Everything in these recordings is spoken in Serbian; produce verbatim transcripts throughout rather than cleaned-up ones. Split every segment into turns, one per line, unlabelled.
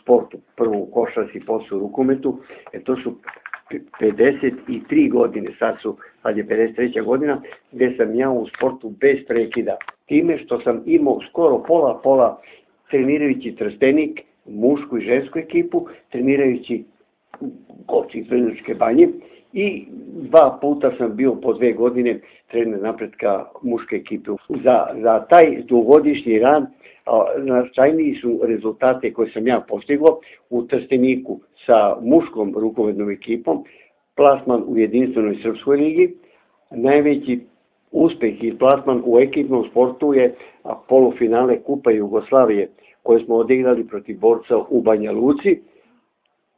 sportu, prvo u košarci, posle u rukometu, e to su pedeset tri godine, sad su, sad je pedeset treća godina, gde sam ja u sportu bez prekida. Time što sam imao skoro pola pola trenirajući Trstenik, mušku i žensku ekipu, trenirajući Goči iz Vrnjačke Banje i dva puta sam bio po dve godine trener napretka muške ekipe. Za, za taj dugogodišnji rad značajniji su rezultate koje sam ja postigao u Trsteniku sa muškom rukometnom ekipom, plasman u jedinstvenoj srpskoj ligi. Najveći uspeh i plasman u ekipnom sportu je polufinale Kupa Jugoslavije koje smo odigrali protiv Borca u Banja Luci,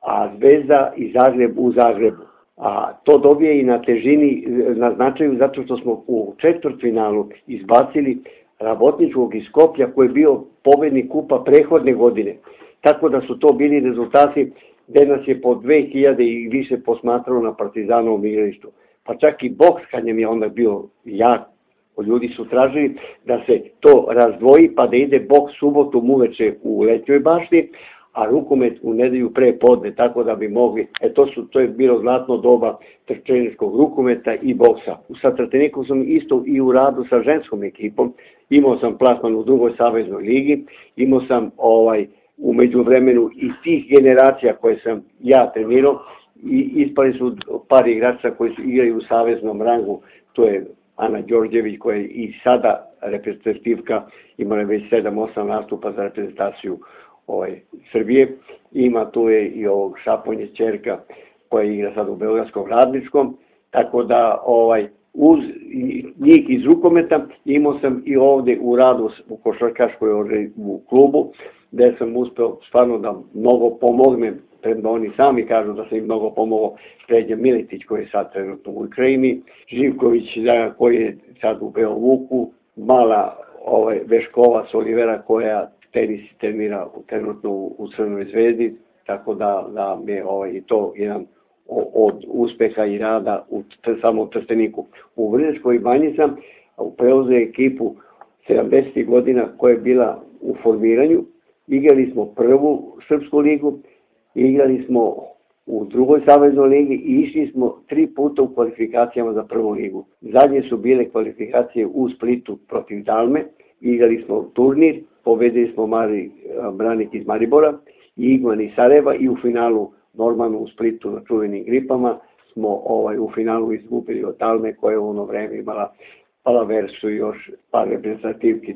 a Zvezda i Zagreb u Zagrebu. A to dobije i na težini, na značaju, zato što smo u četvrtfinalu izbacili Rabotničkog iz Skoplja koji je bio pobednik kupa prethodne godine. Tako da su to bili rezultati gde nas je po dve hiljade i više posmatralo na Partizanovom igralištu. Pa čak i boks kad nam je onda bio jak, ljudi su tražili da se to razdvoji pa da ide boks subotom uveče u Letnjoj bašti, a rukomet u nedelju pre podne, tako da bi mogli, e to, su, to je bilo zlatno doba trčeničkog rukometa i boksa. Sa Trstenikom sam isto i u radu sa ženskom ekipom, imao sam plasman u drugoj saveznoj ligi, imao sam ovaj, u međuvremenu iz tih generacija koje sam ja trenirao, i ispali su par igrača koji su igrali u saveznom rangu, to je Ana Đorđević koja je i sada reprezentativka, imala već sedam osam nastupa za reprezentaciju Ovaj, Srbije. Ima tu je i ovog Šaponje ćerka koja igra sad u Beogradskom Radničkom, tako da ovaj, uz njih iz rukometa imao sam i ovde u radu u košarkaškoj u klubu, gde sam uspeo stvarno da mnogo pomognem, premda oni sami kažu da sam im mnogo pomogao, Sređa Miletić koji je sad trenutno u Ukrajini, Živković koji je sad u Beovuku, mala ovaj, Veškovac Olivera koja tenis trenira trenutno u Crvenoj Zvezdi, tako da, da mi je ovaj, i to jedan od uspeha i rada u samom Trsteniku. U Vrnjačkoj Banji sam preuzeo ekipu sedamdesetih godina koja je bila u formiranju. Igrali smo prvu srpsku ligu, igrali smo u drugoj saveznoj ligi i išli smo tri puta u kvalifikacijama za prvu ligu. Zadnje su bile kvalifikacije u Splitu protiv Dalme, igrali smo turnir, pobedili smo Mari Branik iz Maribora i Igman iz Sarajeva i u finalu normalno u Splitu na čuvenim gripama smo ovaj, u finalu izgubili od Dalme koja je u ono vreme imala Palaversu i još par reprezentativki.